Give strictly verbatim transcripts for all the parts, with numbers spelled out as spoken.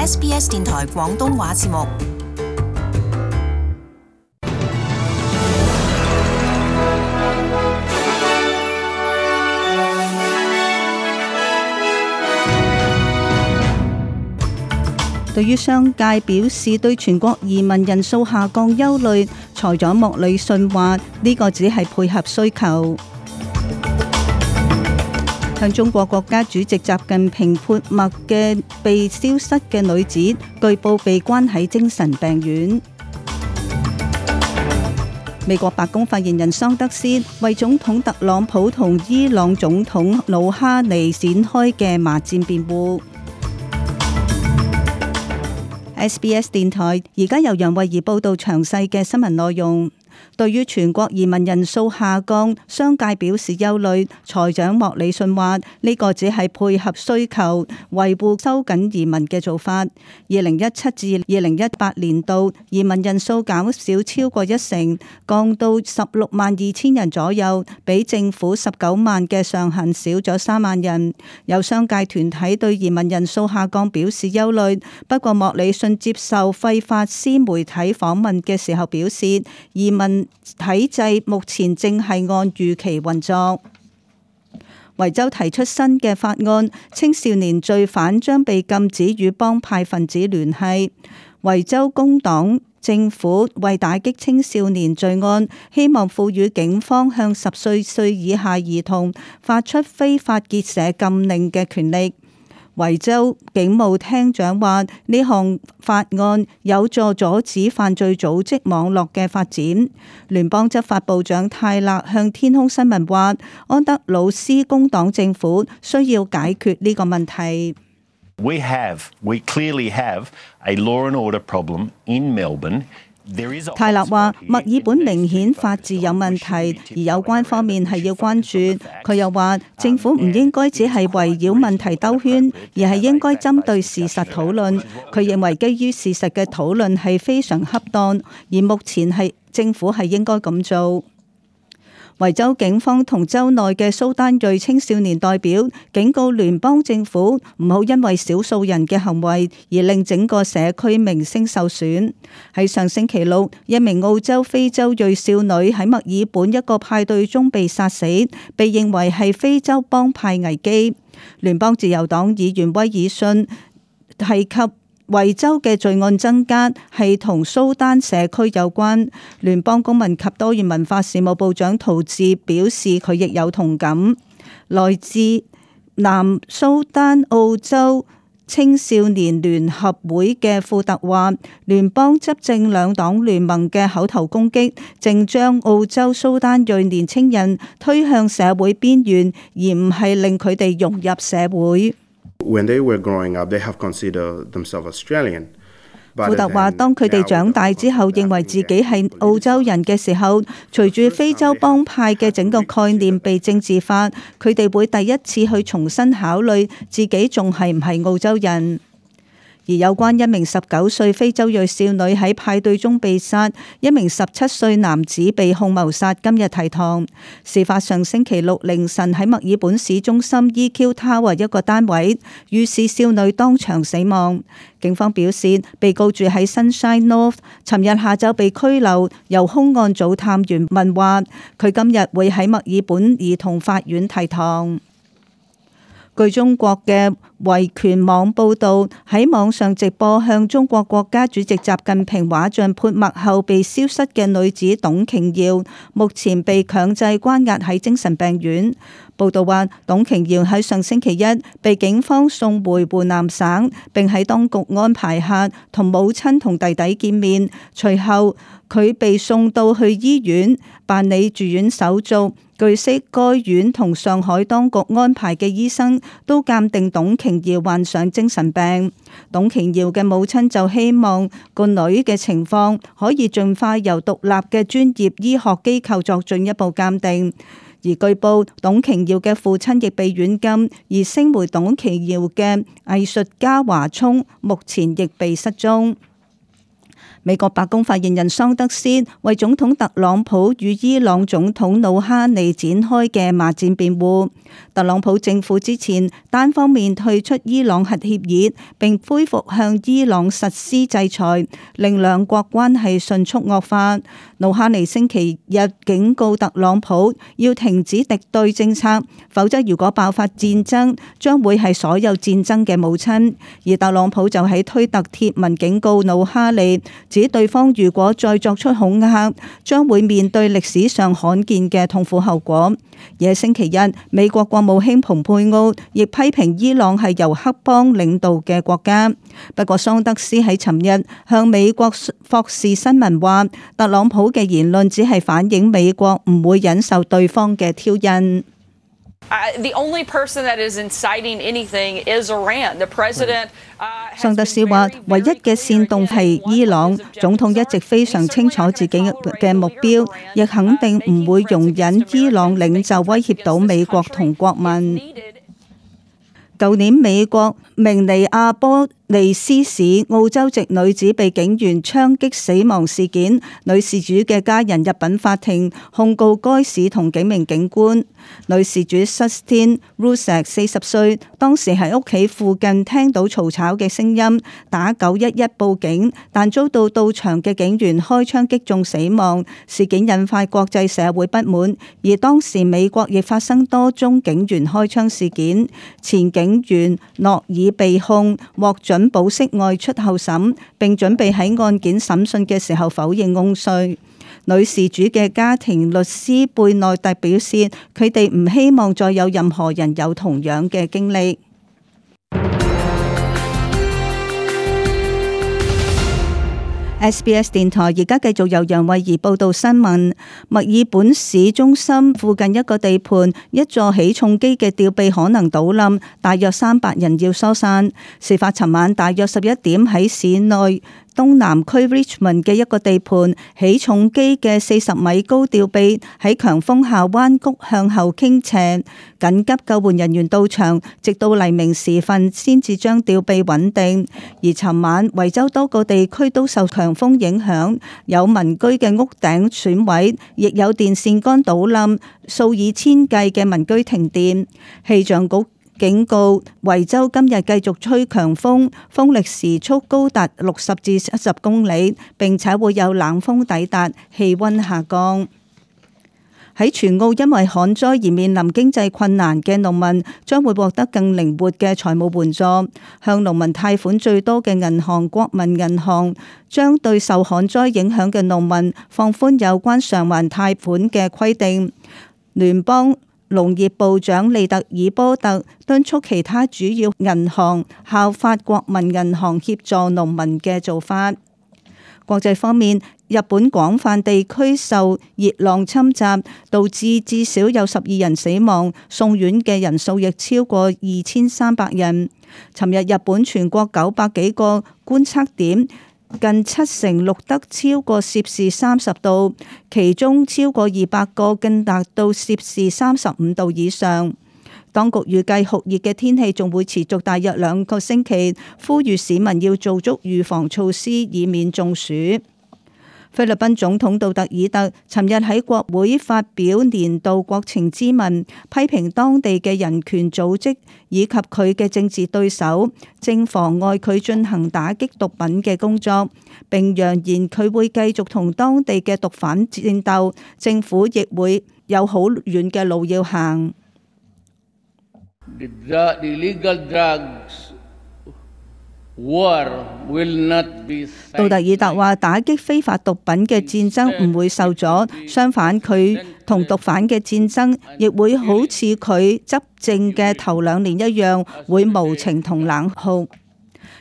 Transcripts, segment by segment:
S B S 電台廣東話節目。對於商界表示對全國移民人數下降憂慮，財長莫里遜話呢個只係配合需求。向中國國家主席習近平潑墨嘅被消失嘅女子，據報被關喺精神病院。美國白宮發言人桑德斯為總統特朗普同伊朗總統魯哈尼展開嘅罵戰辯護。S B S 電台而家由楊慧儀報道詳細嘅新聞內容。對於全國移民人數下降，商界表示憂慮。財長莫里遜話呢個只係配合需求，維護收緊移民嘅做法。二零一七至二零一八年度移民人數減少超過一成，降到十六萬二千人左右，比政府十九萬嘅上限少咗三萬人。有商界團體對移民人數下降表示憂慮，不過莫里遜接受費法斯媒體訪問嘅時候表示，移民體制目前正係按預期運作。維州提出新嘅法案，青少年罪犯將被禁止與幫派分子聯繫。維州工黨政府為打擊青少年罪案，希望賦予警方向十歲歲以下兒童發出非法結社禁令嘅權力。維州警務廳長話呢項法案有助阻止犯罪組織網絡嘅發展。聯邦執法部長泰勒向天空新聞話，安德魯斯工黨政府需要解決呢個問題。We have, we clearly have a law and order problem in Melbourne.泰勒話墨爾本明顯法治有問題，而有關方面係要關注。佢又話政府唔應該只係圍繞問題兜圈，而係應該針對事實討論。佢認為基於事實嘅討論係非常恰當，而目前係政府係應該咁做。維州警方同州內嘅蘇丹裔青少年代表警告聯邦政府唔好因為少數人嘅行為而令整個社區名聲受損。喺上星期六，一名澳洲非洲裔少女喺墨爾本一個派對中被殺死，被認為係非洲幫派危機。聯邦自由黨議員威爾遜提及維州嘅罪案增加係同蘇丹社區有關。聯邦公民及多元文化事務部長陶治表示佢亦有同感。來自南蘇丹澳洲青少年聯合會嘅庫特話，聯邦執政兩黨聯盟嘅口頭攻擊正將澳洲蘇丹裔年青人推向社會邊緣，而唔係令佢哋融入社會。When they were growing up, they have considered themselves Australian. 庫特話：當佢哋長大之後，認為自己係澳洲人嘅時候，隨住非洲幫派嘅整個概念被政治化，佢哋會第一次去重新考慮自己仲係唔係澳洲人。而有關一名十九歲非洲裔少女喺派對中被殺，一名十七歲男子被控謀殺，今日提堂。事發上星期六凌晨喺墨爾本市中心 E Q Tower 一個單位，遇事少女當場死亡。警方表示，被告住喺 Sunshine North， 尋日下晝被拘留，由兇案組探員問話，佢今日會喺墨爾本兒童法院提堂。據中國嘅維權網報導，喺網上直播向中國國家主席習近平畫像潑墨後被消失嘅女子董瓊瑤，目前被強制關押喺精神病院。報導話，董瓊瑤喺上星期一被警方送回湖南省，並喺當局安排下同母親同弟弟見面。隨後佢被送到去醫院辦理住院手續。據悉，該院同上海當局安排嘅醫生都鑑定董瓊瑤患上精神病。董瓊瑤嘅母親就希望個女嘅情況可以盡快由獨立嘅專業醫學機構作進一步鑑定。而據報，董瓊瑤嘅父親亦被軟禁，而聲援董瓊瑤嘅藝術家華聰目前亦被失蹤。美國白宮發言人桑德斯為總統特朗普與伊朗總統魯哈尼展開嘅罵戰辯護。特朗普政府之前單方面退出伊朗核協議，並恢復向伊朗實施制裁，令兩國關係迅速惡化。魯哈尼星期日警告特朗普要停止敵對政策，否則如果爆發戰爭，將會係所有戰爭嘅母親。而特朗普就喺推特貼文警告魯哈尼，指對方如果再作出恐嚇，將會面對歷史上罕見嘅痛苦後果。而喺星期日，美國國務卿蓬佩奧亦批評伊朗係由黑幫領導嘅國家。不過桑德斯喺尋日向美國霍士新聞話，特朗普嘅言論只係反映美國唔會忍受對方嘅挑釁。桑德斯話，唯一嘅煽動係伊朗。總統一直非常清楚自己嘅目標，亦肯定唔會容忍伊朗領袖威脅到美國同國民。舊年美國明尼阿波利斯市澳洲籍女子被警員槍擊死亡事件，女事主嘅家人入稟法庭控告該市同幾名警官。女事主 Sustin Rusak 四十歲，當時喺屋企附近聽到嘈吵嘅聲音，打九一一報警，但遭到到場嘅警員開槍擊中死亡。事件引發國際社會不滿，而當時美國亦發生多宗警員開槍事件。前警員諾爾被控獲准保釋外出候審，並準備喺案件審訊嘅時候否認控罪。女事主嘅家庭律師貝內特表示，佢哋唔希望再有任何人有同樣嘅經歷。S B S 電台而家繼續由楊慧儀報道新聞。墨爾本市中心附近一個地盤，一座起重機嘅吊臂可能倒冧，大約三百人要疏散。事發尋晚大約十一點喺市內東南區 Richmond 嘅一個地盤，起重機嘅四十米高吊臂喺強風下彎曲向後傾斜，緊急救援人員到場，直到黎明時分先至將吊臂穩定。而尋晚維州多個地區都受強風影響，有民居嘅屋頂損毀，亦有電線桿倒冧，數以千計嘅民居停電。氣象局警告維州今日繼續吹強風，風力時速高達六十至七十公里，並且會有冷風抵達，氣溫下降。喺全澳因為旱災而面臨經濟困難嘅農民將會獲得更靈活嘅財務援助。向農民貸款最多嘅銀行國民銀行將對受旱災影響嘅農民放寬有關償還貸款嘅規定。聯邦農業部長利特爾波特敦促其他主要銀行效法國民銀行協助農民嘅做法。國際方面，日本廣泛地區受熱浪侵襲，導致至少有十二人死亡，送院嘅人數亦超過二千三百人。尋日日本全國九百幾個觀測點，近七成錄得超過攝氏三十度，其中超過二百個更達到攝氏三十五度以上。當局預計酷熱嘅天氣仲會持續大約兩個星期，呼籲市民要做足預防措施，以免中暑。菲律賓總統杜特爾特尋日喺國會發表年度國情咨文，批評當地嘅人權組織以及佢嘅政治對手，正妨礙佢進行打擊毒品嘅工作，並揚言佢會繼續同當地嘅毒販戰鬥，政府亦會有好遠嘅路要行。The illegal drugs war will not be。杜特爾特話：打擊非法毒品嘅戰爭唔會受阻，相反，佢同毒販嘅戰爭亦會好似佢執政嘅頭兩年一樣，會無情同冷酷。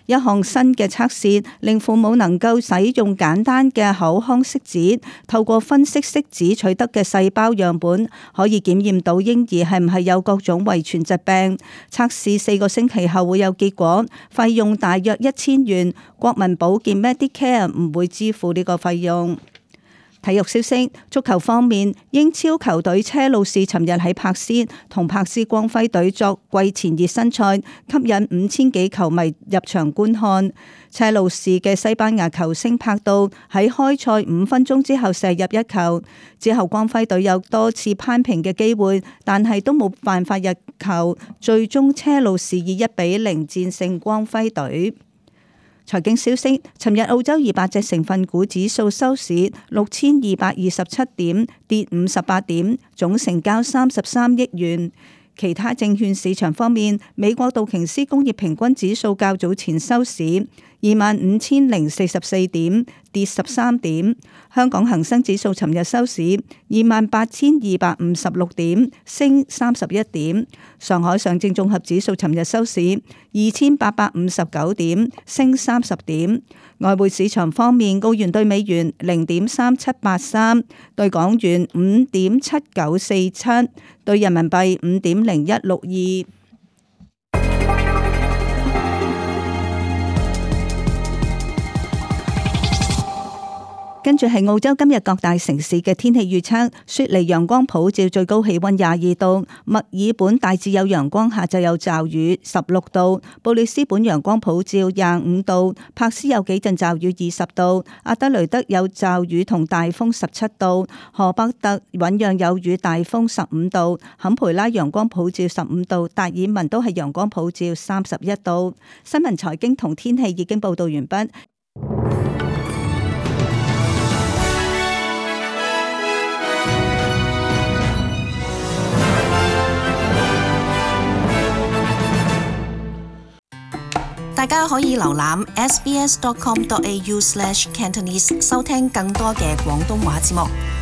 一項新嘅測試令父母能夠使用簡單嘅口腔拭子，透過分析拭子取得嘅細胞樣本，可以檢驗到嬰兒係唔係有各種遺傳疾病。測試四個星期後會有結果，費用大約一千元。國民保健 Medicare 唔會支付呢個費用。體育消息，足球方面，英超球隊車路士尋日喺柏斯同柏斯光輝隊作季前熱身賽，吸引五千幾球迷入場觀看。車路士嘅西班牙球星柏杜喺開賽五分鐘之後射入一球，之後光輝隊有多次攀平嘅機會，但係都冇辦法入球，最終車路士以一比零戰勝光輝隊。財經消息，尋日澳洲二百隻成分股指數收市六千二百二十七點，跌五十八點，總成交三十三億元。其他證券市場方面，美國道瓊斯工業平均指數較早前收市二萬五千零四十四點，跌十三點。香港恒生指數尋日收市二萬八千二百五十六點，升三十一點。上海上證綜合指數尋日收市二千八百五十九點，升三十點。外匯市場方面，澳元兌美元零點三七八三，兌港元五點七九四七，兌人民幣五點零一六二。跟住係澳洲今日各大城市嘅天氣預測：雪梨陽光普照，最高氣溫廿二度；墨爾本大致有陽光，下晝有驟雨，十六度；布里斯本陽光普照，廿五度；柏斯有幾陣驟雨，二十度；阿德雷德有驟雨同大風，十七度；荷伯特醞釀有雨，大風，十五度；坎培拉陽光普照，十五度；達爾文都係陽光普照，三十一度。新聞財經同天氣已經報道完畢。大家可以瀏覽 s b s dot com dot a u slash cantonese 收聽更多嘅廣東話節目。